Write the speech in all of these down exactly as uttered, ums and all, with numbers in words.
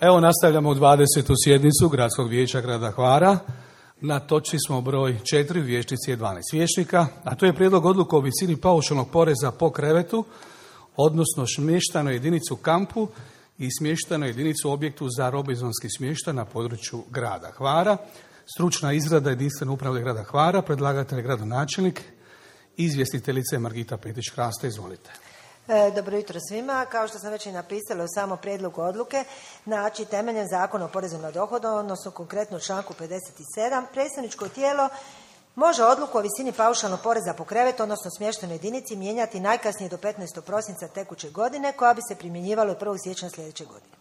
Evo nastavljamo dvadesetu sjednicu Gradskog vijeća grada Hvara. Na točci smo broj četiri, vijećnici je dvanaest vijećnika, a to je prijedlog odluke o visini paušalnog poreza po krevetu, odnosno smještajnoj jedinicu kampu i smještajnoj jedinicu u objektu za robinzonski smještaj na području grada Hvara. Stručna izrada jedinstvene uprave grada Hvara, predlagatelj gradonačelnik, izvjestiteljice Margita Petić-Hrasta, izvolite. Dobro jutro svima. Kao što sam već i napisala u samom prijedlogu odluke, znači temeljem Zakona o porezu na dohodak, odnosno konkretno u članku pedeset sedam, predstavničko tijelo može odluku o visini paušalnog poreza po krevetu, odnosno smještajnoj jedinici, mijenjati najkasnije do petnaestog prosinca tekuće godine, koja bi se primjenjivala od prvog siječnja sljedeće godine.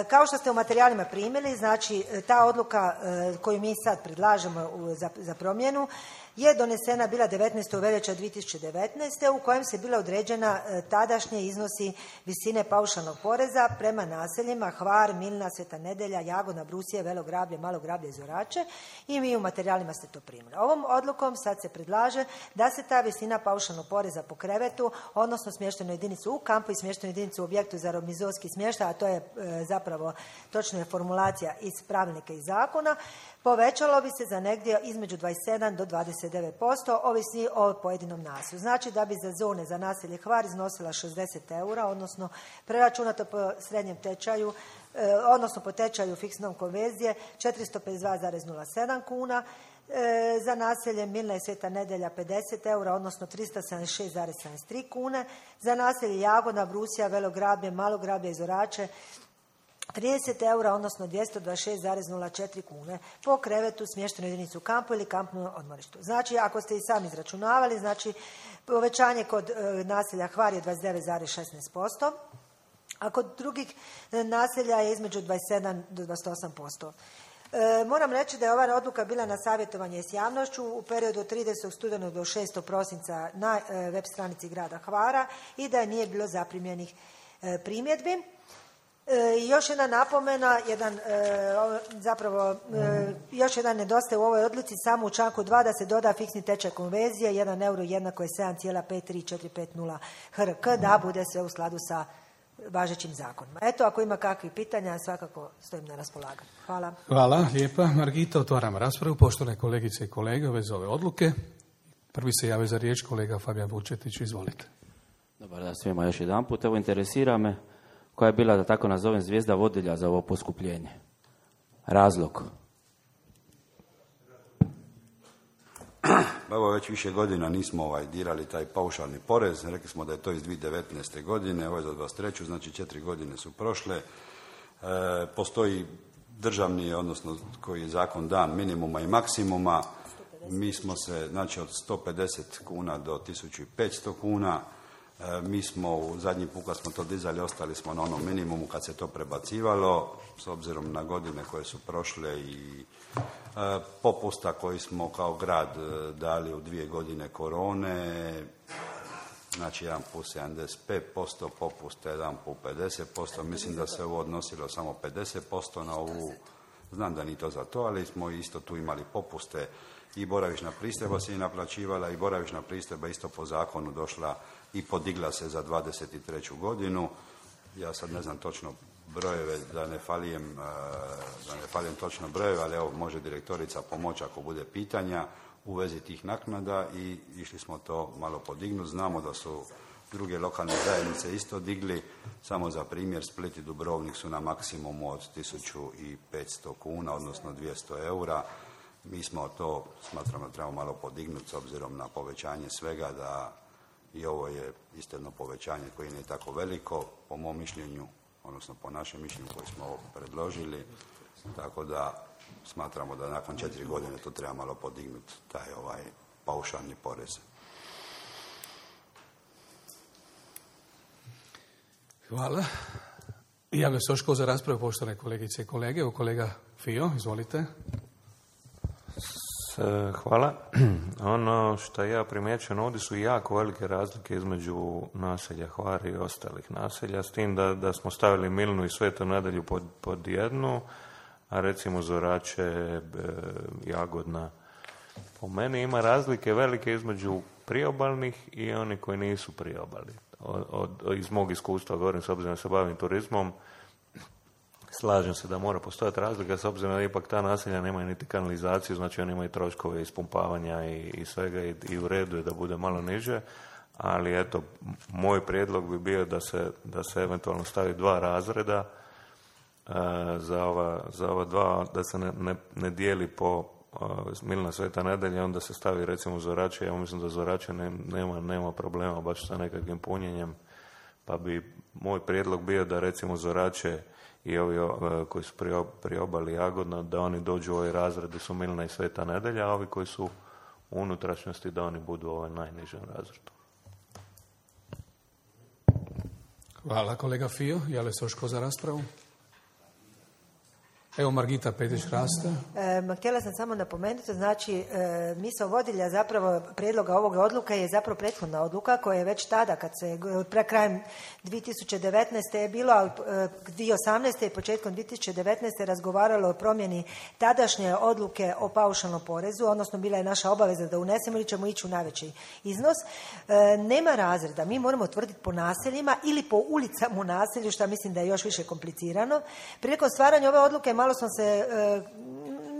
Kao što ste u materijalima primili, znači ta odluka koju mi sad predlažemo za, za promjenu je donesena bila devetnaestog veljače dvije tisuće devetnaeste. u kojem se bila određena tadašnje iznosi visine paušalnog poreza prema naseljima Hvar, Milna, Sveta Nedelja, Jagodna, Brusije, Velo Grablje, Malo Grablje i Zorače, i mi u materijalima ste to primili. Ovom odlukom sad se predlaže da se ta visina paušalnog poreza po krevetu, odnosno smještajnu jedinicu u kampu i smještajnu jedinicu u objektu za robinzonski smještaj, a to je e, zapravo točna je formulacija iz pravilnika i zakona, povećalo bi se za negdje između dvadeset sedam do dvadeset devet posto, ovisi o pojedinom naselju. Znači da bi za zone za naselje Hvar iznosila šezdeset eura, odnosno preračunato po srednjem tečaju, eh, odnosno po tečaju fiksnom konverzije četiristo pedeset dva zarez nula sedam kuna, e, za naselje Milna i Sveta Nedelja pedeset eura, odnosno tristo sedamdeset šest zarez sedamdeset tri kune, za naselje Jagodna, Brusija, Velo Grablje, Malo Grablje i Zorače trideset eura, odnosno dvjesto dvadeset šest zarez nula četiri kune po krevetu, smještenu jedinicu u kampu ili kampnom odmorištu. Znači, ako ste i sami izračunavali, znači povećanje kod e, naselja Hvar je dvadeset devet zarez šesnaest posto, a kod drugih e, naselja je između dvadeset sedam do dvadeset osam posto. E, moram reći da je ova odluka bila na savjetovanje s javnošću u periodu od tridesetog studenog do šestog prosinca na e, web stranici grada Hvara i da je nije bilo zaprimljenih e, primjedbi. E, još jedna napomena, jedan, e, zapravo, e, još jedan nedostaje u ovoj odluci, samo u članku dva da se doda fiksni tečaj konverzije, jedan euro jednako je sedam zarez pet tri četiri pet nula H R K, da bude sve u skladu sa važećim zakonima. Eto, ako ima kakvih pitanja, svakako stojim na raspolaganju. Hvala. Hvala, lijepa. Margita, otvaram raspravu. Poštovane kolegice i kolege, ove ove odluke. Prvi se jave za riječ kolega Fabijan Vučetić, izvolite. Dobar dan svima još jedan put. Evo, interesira me koja je bila, da tako nazovem, zvijezda vodilja za ovo poskupljenje. Razlog? Evo, već više godina nismo ovaj, dirali taj paušalni porez. Rekli smo da je to iz dvije tisuće devetnaeste. godine, ovo je za dvadeset treću. znači četiri godine su prošle. E, postoji državni, odnosno koji je zakon dan minimuma i maksimuma. Mi smo se, znači od sto pedeset kuna do tisuću petsto kuna, e, mi smo u zadnji put kad smo to dizali, ostali smo na onom minimumu kad se to prebacivalo, s obzirom na godine koje su prošle i e, popusta koji smo kao grad e, dali u dvije godine korone, znači jedan put sedamdeset pet posto popusta, jedan put pedeset posto, mislim da se ovo odnosilo samo pedeset posto na ovu, znam da nije to za to, ali smo isto tu imali popuste i boravišna pristojba se i naplaćivala i boravišna pristojba isto po zakonu došla i podigla se za dvadeset treću godinu. Ja sad ne znam točno brojeve, da ne falijem, da ne falijem točno brojeve, ali evo može direktorica pomoći ako bude pitanja u vezi tih naknada i išli smo to malo podignuti. Znamo da su druge lokalne zajednice isto digli, samo za primjer Split i Dubrovnik su na maksimumu od tisuću petsto kuna, odnosno dvjesto eura. Mi smo to, smatramo da trebamo malo podignuti s obzirom na povećanje svega, da i ovo je isto jedno povećanje koje nije tako veliko, po mom mišljenju, odnosno po našem mišljenju koji smo ovo predložili, tako da smatramo da nakon četiri godine to treba malo podignuti, taj ovaj paušalni porez. Hvala. Javlja se još ko za raspravu, poštovane kolegice i kolege. Evo kolega Fio, izvolite. Hvala. Ono što ja primjećujem, ovdje su jako velike razlike između naselja Hvar i ostalih naselja, s tim da, da smo stavili Milnu i Svetu Nedelju pod, pod jednu, a recimo Zorače, Jagodna. Po meni ima razlike velike između priobalnih i oni koji nisu priobalni. Od, od, iz mog iskustva govorim, s obzirom da se bavim turizmom, slažem se da mora postojati razlika, s obzirom da ipak ta naselja nemaju niti kanalizaciju, znači oni imaju troškove ispumpavanja i, i svega i, i u redu je da bude malo niže, ali eto, moj prijedlog bi bio da se, da se eventualno stavi dva razreda uh, za, ova, za ova dva, da se ne, ne, ne dijeli po uh, Milna Sveta Nedelja, onda se stavi recimo Zorače, ja mislim da Zorače ne, nema, nema problema baš sa nekakvim punjenjem, pa bi moj prijedlog bio da recimo Zorače i ovi uh, koji su pri, pri obali Jagodna, da oni dođu u ovaj razred da su Milna i Sveta Nedelja, a ovi koji su u unutrašnjosti da oni budu u ovaj najnižem razredu. Hvala, kolega Fio. Jale se još ko za raspravu? Evo Margita Petić-Hrasta. E, htjela sam samo napomenuti, znači e, misao vodilja zapravo prijedloga ovoga odluka je zapravo prethodna odluka koja je već tada, kad se pre krajem dvije tisuće devetnaeste je bilo, a e, dvije tisuće osamnaeste i početkom dvije tisuće devetnaeste razgovaralo o promjeni tadašnje odluke o paušalnom porezu, odnosno bila je naša obaveza da unesemo ili ćemo ići u najveći iznos. E, nema razreda, mi moramo utvrditi po naseljima ili po ulicama u naselju, što mislim da je još više komplicirano. Prilikom stvaranja ove odluke malo sam se, e,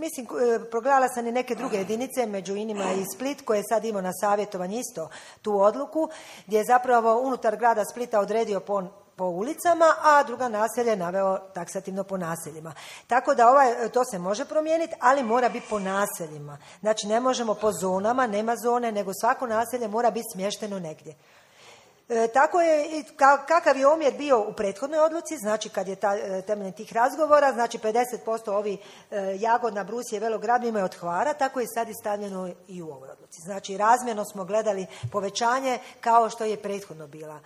mislim, e, progledala sam i neke druge jedinice, među inima i Split, koje je sad imao na savjetovanju isto tu odluku, gdje je zapravo unutar grada Splita odredio po, po ulicama, a druga naselja je naveo taksativno po naseljima. Tako da ovaj, to se može promijeniti, ali mora biti po naseljima. Znači ne možemo po zonama, nema zone, nego svako naselje mora biti smješteno negdje. E, tako je, ka, kakav je omjer bio u prethodnoj odluci, znači kad je ta, temeljem tih razgovora, znači pedeset posto ovi e, Jagodna, Brusije, Velograd imaju od Hvara, tako je sad i stavljeno i u ovoj odluci. Znači razmjerno smo gledali povećanje kao što je prethodno bila.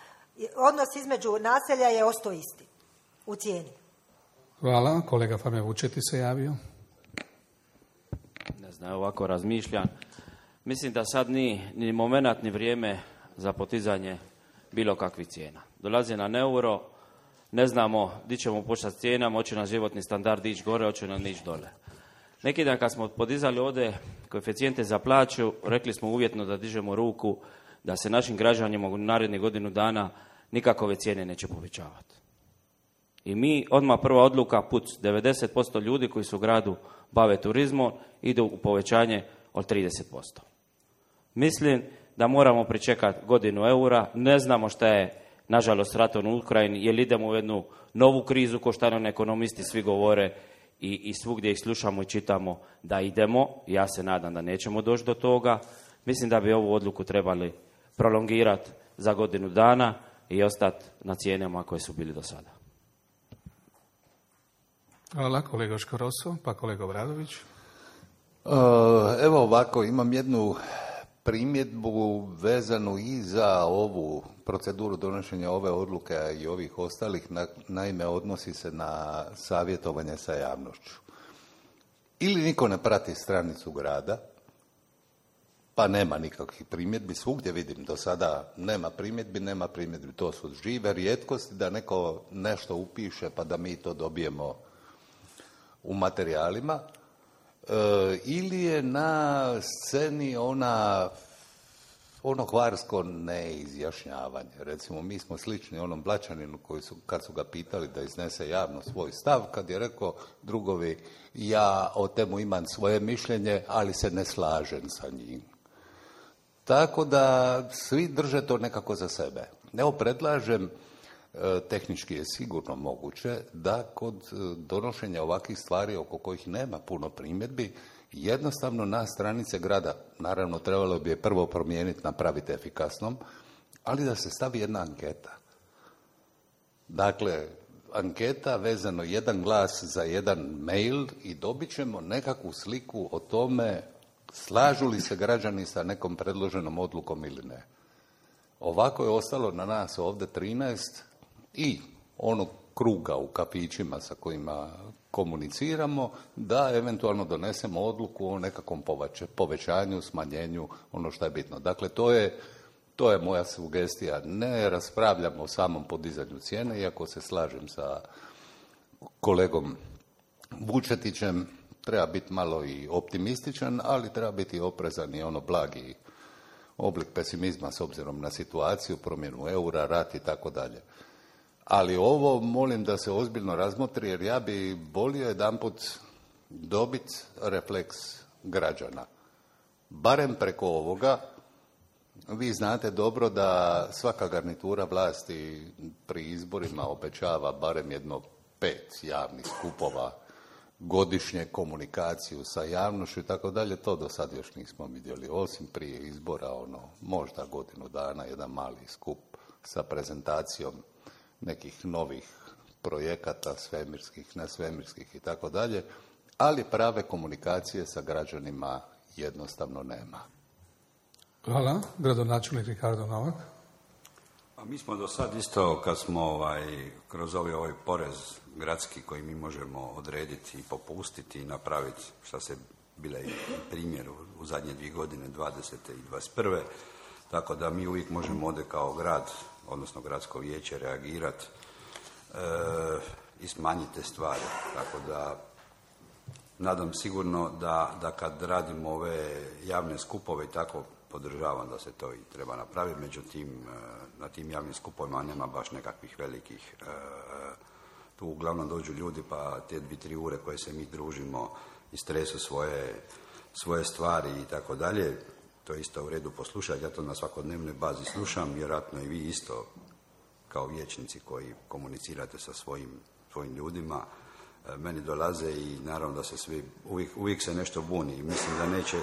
Odnos između naselja je ostao isti u cijeni. Hvala. Kolega Fame Vučeti se javio. Ne znam, ovako razmišljam. Mislim da sad ni, ni moment, ni vrijeme za potizanje bilo kakvih cijena. Dolazi na euro, ne znamo di ćemo početi s cijenama, hoće nam životni standard ići gore, hoće nam ići dole. Neki dan kad smo podizali ovdje koeficijente za plaću, rekli smo uvjetno da dižemo ruku, da se našim građanima u narednih godinu dana nikakove cijene neće povećavati. I mi, odmah prva odluka, put devedeset posto ljudi koji su u gradu bave turizmom, idu u povećanje od trideset posto. Mislim da moramo pričekati godinu eura, ne znamo šta je, nažalost, ratom u Ukrajini, jer idemo u jednu novu krizu, ko što nam ekonomisti svi govore i, i svugdje ih slušamo i čitamo da idemo. Ja se nadam da nećemo doći do toga. Mislim da bi ovu odluku trebali prolongirati za godinu dana i ostati na cijenama koje su bili do sada. Hvala, kolega Škoroso, pa kolega Obradović. Uh, evo ovako, imam jednu primjedbu vezanu i za ovu proceduru donošenja ove odluke i ovih ostalih, na, naime odnosi se na savjetovanje sa javnošću. Ili niko ne prati stranicu grada, pa nema nikakvih primjedbi, svugdje vidim do sada nema primjedbi, nema primjedbi, to su žive rijetkosti da neko nešto upiše pa da mi to dobijemo u materijalima. E, ili je na sceni ona, ono hvarsko neizjašnjavanje. Recimo, mi smo slični onom Blačaninu koji su, kad su ga pitali da iznese javno svoj stav, kad je rekao drugovi, ja o temu imam svoje mišljenje, ali se ne slažem sa njim. Tako da svi drže to nekako za sebe. Evo, predlažem, tehnički je sigurno moguće da kod donošenja ovakvih stvari oko kojih nema puno primjedbi, jednostavno na stranice grada, naravno trebalo bi je prvo promijeniti, napraviti efikasnom, ali da se stavi jedna anketa. Dakle, anketa vezano jedan glas za jedan mail i dobit ćemo nekakvu sliku o tome slažu li se građani sa nekom predloženom odlukom ili ne. Ovako je ostalo na nas ovdje trinaest i onog kruga u kafićima sa kojima komuniciramo, da eventualno donesemo odluku o nekakvom povećanju, smanjenju, ono što je bitno. Dakle, to je, to je moja sugestija. Ne raspravljamo o samom podizanju cijene, iako se slažem sa kolegom Vučetićem, treba biti malo i optimističan, ali treba biti oprezan i ono blagi oblik pesimizma s obzirom na situaciju, promjenu eura, rat i tako dalje. Ali ovo molim da se ozbiljno razmotri, jer ja bi volio jedanput dobiti refleks građana. Barem preko ovoga. Vi znate dobro da svaka garnitura vlasti pri izborima obećava barem jedno pet javnih skupova, godišnje komunikaciju sa javnošću i tako dalje. To do sad još nismo vidjeli, osim prije izbora, ono, možda godinu dana, jedan mali skup sa prezentacijom nekih novih projekata svemirskih, nesvemirskih i tako dalje, ali prave komunikacije sa građanima jednostavno nema. Hvala. Gradonačelnik Ricardo Novak. A mi smo do sad isto, kad smo ovaj, kroz ovaj, ovaj porez gradski koji mi možemo odrediti i popustiti i napraviti, što se bile i primjer u, u zadnje dvije godine, dvadesete i dvadeset prve, tako da mi uvijek možemo ovdje kao grad, odnosno gradsko vijeće, reagirati e, i smanjiti te stvari. Tako da nadam sigurno da, da kad radimo ove javne skupove i tako, podržavam da se to i treba napraviti, međutim na tim javnim skupovima nema baš nekakvih velikih, tu uglavnom dođu ljudi pa te dvi, tri ure koje se mi družimo istresu svoje, svoje stvari i tako dalje, to je isto u redu poslušati, ja to na svakodnevnoj bazi slušam, vjerojatno i vi isto kao vijećnici koji komunicirate sa svojim, svojim ljudima, meni dolaze i naravno da se svi, uvijek, uvijek se nešto buni i mislim da neće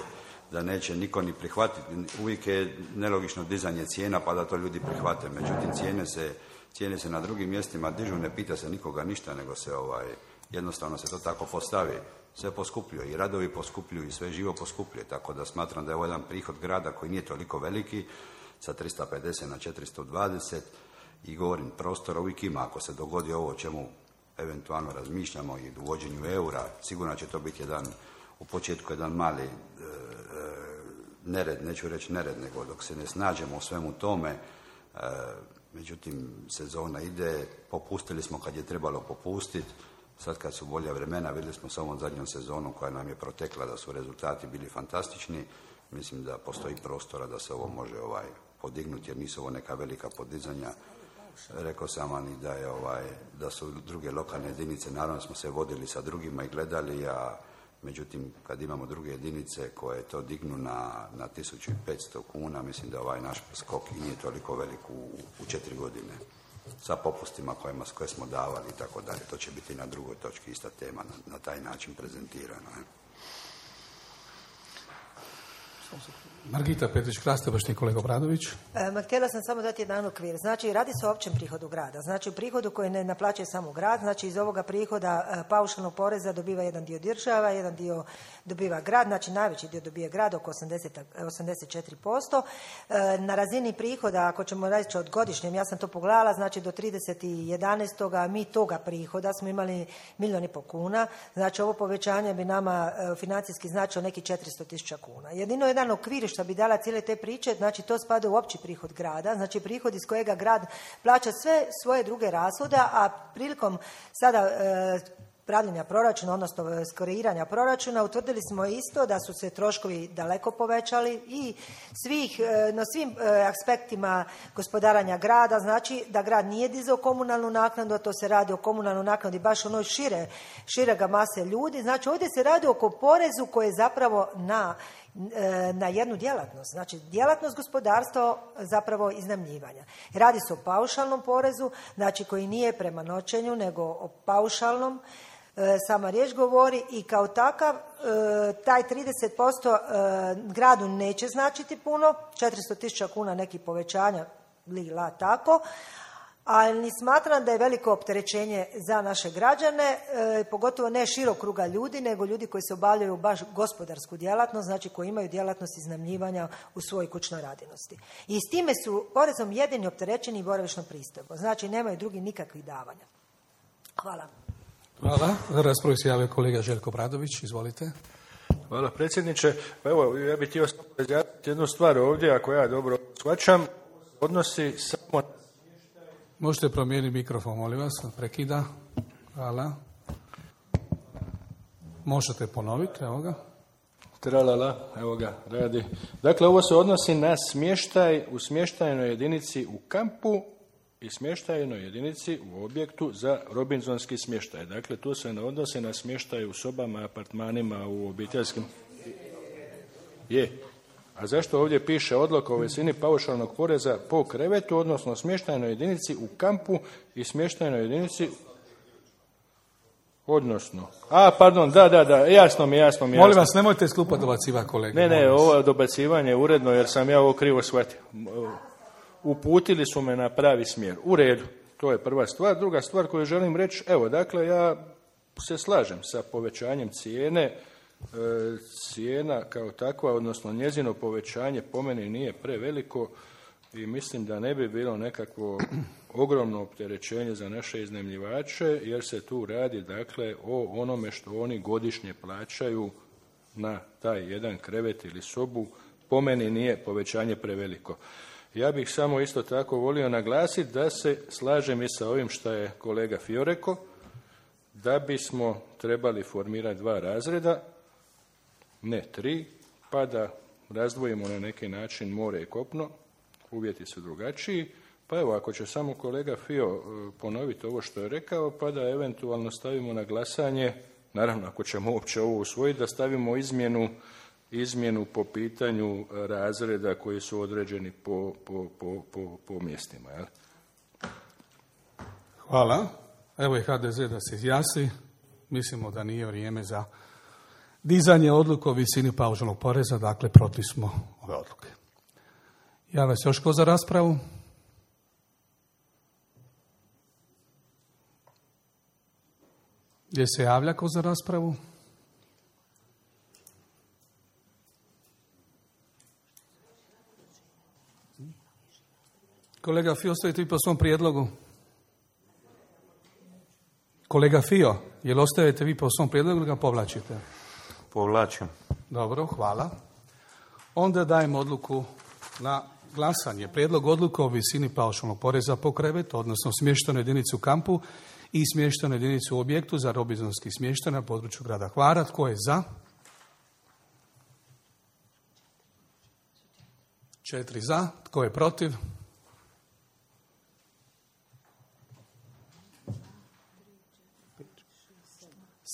da neće niko ni prihvatiti. Uvijek je nelogično dizanje cijena pa da to ljudi prihvate. Međutim, cijene se, cijene se na drugim mjestima dižu, ne pita se nikoga ništa, nego se ovaj, jednostavno se to tako postavi. Sve poskupljuje i radovi poskupljuju i sve živo poskupljuje. Tako da smatram da je ovo jedan prihod grada koji nije toliko veliki, sa tristo pedeset na četiristo dvadeset i govorim, prostora uvijek ima. Ako se dogodi ovo o čemu eventualno razmišljamo i uvođenju eura, sigurno će to biti jedan, u početku jedan mali nered, neću reći nered, nego dok se ne snađemo u svemu tome, e, međutim, sezona ide, popustili smo kad je trebalo popustiti, sad kad su bolja vremena, vidjeli smo sa ovom zadnjom sezonom koja nam je protekla da su rezultati bili fantastični, mislim da postoji prostora da se ovo može ovaj, podignuti, jer nisu ovo neka velika podizanja. Rekao sam vam i da, je, ovaj, da su druge lokalne jedinice, naravno smo se vodili sa drugima i gledali, a međutim, kad imamo druge jedinice koje to dignu na, na tisuću petsto kuna, mislim da ovaj naš skok i nije toliko velik u, u četiri godine. Sa popustima kojima, koje smo davali i tako dalje. To će biti na drugoj točki ista tema, na, na taj način prezentirano. Je. Margita Petrić-Krastobašni, kolega Obradović. E, htjela sam samo dati jedan okvir. Znači, radi se o općem prihodu grada. Znači, u prihodu koji ne naplaćuje samo grad, znači iz ovoga prihoda e, paušalnog poreza dobiva jedan dio država, jedan dio dobiva grad, znači najveći dio dobije grad, oko osamdeset, osamdeset četiri posto. E, na razini prihoda, ako ćemo reći od godišnjem, ja sam to pogledala, znači do trideset jedanaestoga mi toga prihoda smo imali milijun i pol kuna, znači ovo povećanje bi nama e, financijski značilo neki četiristo tisuća kuna. Jedino jedan okvir što bi dala cijele te priče, znači to spada u opći prihod grada, znači prihod iz kojega grad plaća sve svoje druge rashode, a prilikom sada e, pravljenja proračuna, odnosno kreiranja proračuna, utvrdili smo isto da su se troškovi daleko povećali i svih, na svim aspektima gospodaranja grada, znači da grad nije dizao komunalnu naknadu, a to se radi o komunalnoj naknadi baš onoj šire, širega mase ljudi, znači ovdje se radi oko porezu koji je zapravo na na jednu djelatnost, znači djelatnost gospodarstva zapravo iznajmljivanja. Radi se o paušalnom porezu, znači koji nije prema noćenju, nego o paušalnom, e, sama riječ govori i kao takav e, taj trideset posto e, gradu neće značiti puno, četiristo tisuća kuna neki povećanja, li la tako, ali smatram da je veliko opterećenje za naše građane, e, pogotovo ne širok kruga ljudi, nego ljudi koji se obavljaju baš gospodarsku djelatnost, znači koji imaju djelatnost iznajmljivanja u svojoj kućnoj radinosti. I s time su porezom jedini opterećeni boravišnom pristojbom, znači nemaju drugi nikakvih davanja. Hvala. Hvala. Za raspravu se javio kolega Željko Bradović, izvolite. Hvala predsjedniče. Pa evo, ja bih htio samo razjasniti jednu stvar ovdje, ako ja dobro shvaćam, odnosi samo. Možete promijeniti mikrofon, molim vas, prekida. Hvala. Možete ponoviti, evo ga. Tralala, evo ga, radi. Dakle, ovo se odnosi na smještaj u smještajnoj jedinici u kampu i smještajnoj jedinici u objektu za robinzonski smještaj. Dakle, tu se ne odnosi na smještaj u sobama, apartmanima, u obiteljskim... Je. A zašto ovdje piše odluka o visini paušalnog poreza po krevetu, odnosno smještajnoj jedinici u kampu i smještajnoj jedinici... Odnosno. A, pardon, da, da, da, jasno mi, jasno mi. Molim vas, nemojte sklupa dobacivati, kolega. Ne, ne, ovo dobacivanje je uredno jer sam ja ovo krivo shvatio. Uputili su me na pravi smjer. U redu, to je prva stvar. Druga stvar koju želim reći, evo, dakle, ja se slažem sa povećanjem cijene. E, cijena kao takva, odnosno njezino povećanje po meni nije preveliko i mislim da ne bi bilo nekakvo ogromno opterećenje za naše iznajmljivače, jer se tu radi, dakle, o onome što oni godišnje plaćaju na taj jedan krevet ili sobu. Po meni nije povećanje preveliko. Ja bih samo isto tako volio naglasiti da se slažem i sa ovim što je kolega Fio rekao, da bismo trebali formirati dva razreda, ne tri, pa da razdvojimo na neki način more i kopno, uvjeti su drugačiji, pa evo, ako će samo kolega Fio ponoviti ovo što je rekao, pa da eventualno stavimo na glasanje, naravno ako ćemo uopće ovo usvojiti, da stavimo izmjenu izmjenu po pitanju razreda koji su određeni po, po, po, po, po mjestima. Jel? Hvala. Evo i H D Z da se izjasni. Mislimo da nije vrijeme za dizanje odluke o visini paušalnog poreza, dakle protiv smo ove odluke. Javlja se još ko za raspravu? Gdje se javlja ko za raspravu? Kolega Fio, ostajete vi po svom prijedlogu? Kolega Fio, jel ostajete vi po svom prijedlogu ili ga povlačite? Povlačim. Dobro, hvala. Onda dajem odluku na glasanje. Prijedlog odluke o visini paušalnog poreza po krevetu, odnosno smještajnoj jedinici u kampu i smještajnoj jedinici u objektu za robinzonski smještaj na području grada Hvara. Tko je za? Četiri za. Tko je protiv?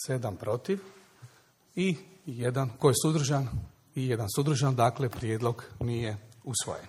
Sedam protiv i jedan, ko je suzdržan? I jedan suzdržan, dakle prijedlog nije usvojen.